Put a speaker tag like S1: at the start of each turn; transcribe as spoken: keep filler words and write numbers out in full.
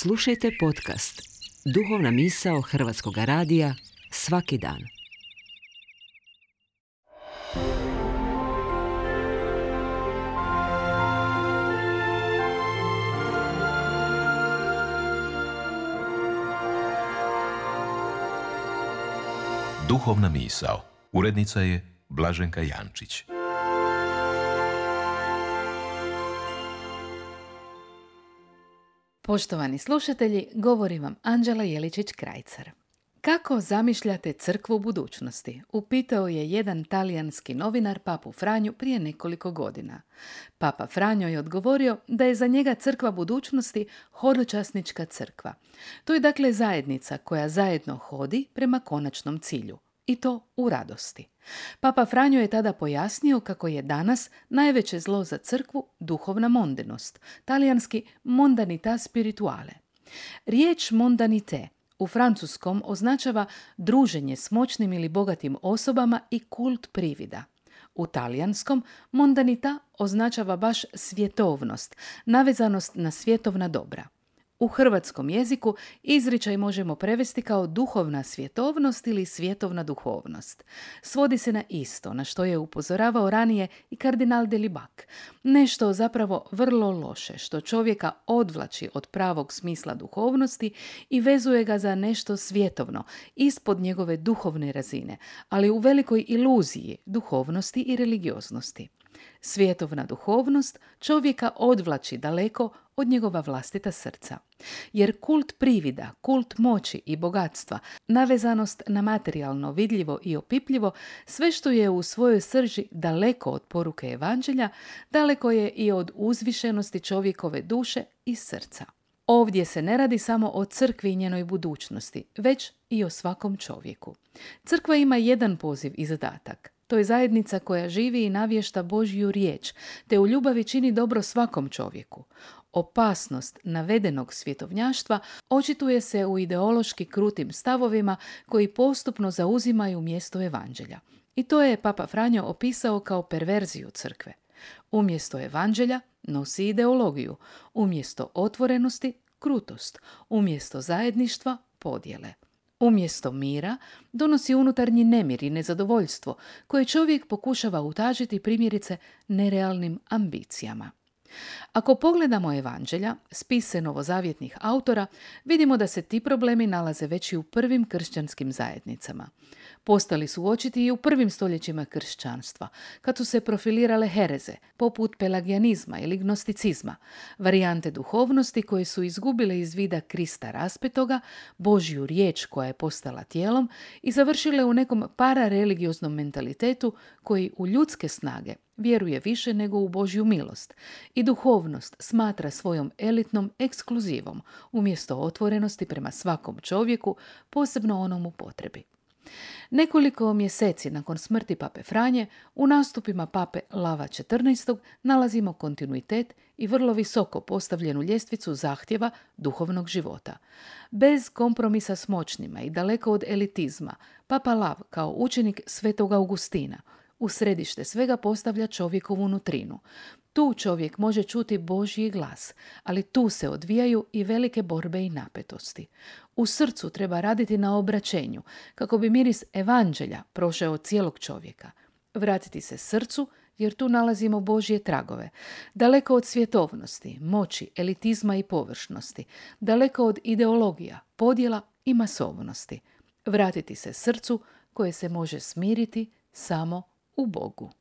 S1: Slušajte podcast Duhovna misao Hrvatskog radija svaki dan.
S2: Duhovna misao. Urednica je Blaženka Jančić.
S3: Poštovani slušatelji, govori vam Anđela Jeličić-Krajcar. Kako zamišljate crkvu budućnosti? Upitao je jedan talijanski novinar Papu Franju prije nekoliko godina. Papa Franjo je odgovorio da je za njega crkva budućnosti hodočasnička crkva. To je dakle zajednica koja zajedno hodi prema konačnom cilju. I to u radosti. Papa Franjo je tada pojasnio kako je danas najveće zlo za crkvu duhovna mondenost, talijanski mondanita spirituale. Riječ mondanite u francuskom označava druženje s moćnim ili bogatim osobama i kult privida. U talijanskom mondanita označava baš svjetovnost, navezanost na svjetovna dobra. U hrvatskom jeziku izričaj možemo prevesti kao duhovna svjetovnost ili svjetovna duhovnost. Svodi se na isto, na što je upozoravao ranije i kardinal Delibac. Nešto zapravo vrlo loše, što čovjeka odvlači od pravog smisla duhovnosti i vezuje ga za nešto svjetovno, ispod njegove duhovne razine, ali u velikoj iluziji duhovnosti i religioznosti. Svjetovna duhovnost čovjeka odvlači daleko od njegova vlastita srca. Jer kult privida, kult moći i bogatstva, navezanost na materijalno, vidljivo i opipljivo, sve što je u svojoj srži daleko od poruke evanđelja, daleko je i od uzvišenosti čovjekove duše i srca. Ovdje se ne radi samo o crkvi i njenoj budućnosti, već i o svakom čovjeku. Crkva ima jedan poziv i zadatak. To je zajednica koja živi i navješta Božju riječ, te u ljubavi čini dobro svakom čovjeku. Opasnost navedenog svjetovnjaštva očituje se u ideološki krutim stavovima koji postupno zauzimaju mjesto evanđelja. I to je Papa Franjo opisao kao perverziju crkve. Umjesto evanđelja nosi ideologiju, umjesto otvorenosti krutost, umjesto zajedništva podjele. Umjesto mira donosi unutarnji nemir i nezadovoljstvo koje čovjek pokušava utažiti primjerice nerealnim ambicijama. Ako pogledamo evanđelja, spise novozavjetnih autora, vidimo da se ti problemi nalaze već i u prvim kršćanskim zajednicama. Postali su očiti i u prvim stoljećima kršćanstva, kad su se profilirale hereze, poput pelagijanizma ili gnosticizma, varijante duhovnosti koje su izgubile iz vida Krista raspetoga, Božju riječ koja je postala tijelom i završile u nekom parareligioznom mentalitetu koji u ljudske snage vjeruje više nego u Božju milost i duhovnost smatra svojom elitnom ekskluzivom umjesto otvorenosti prema svakom čovjeku, posebno onom u potrebi. Nekoliko mjeseci nakon smrti pape Franje, u nastupima pape Lava četrnaestog nalazimo kontinuitet i vrlo visoko postavljenu ljestvicu zahtjeva duhovnog života. Bez kompromisa s moćnima i daleko od elitizma, papa Lav kao učenik svetog Augustina u središte svega postavlja čovjekovu nutrinu. Tu čovjek može čuti Božji glas, ali tu se odvijaju i velike borbe i napetosti. U srcu treba raditi na obraćenju, kako bi miris evanđelja prošao cijelog čovjeka. Vratiti se srcu, jer tu nalazimo Božje tragove. Daleko od svjetovnosti, moći, elitizma i površnosti. Daleko od ideologija, podjela i masovnosti. Vratiti se srcu koje se može smiriti samo u Bogu.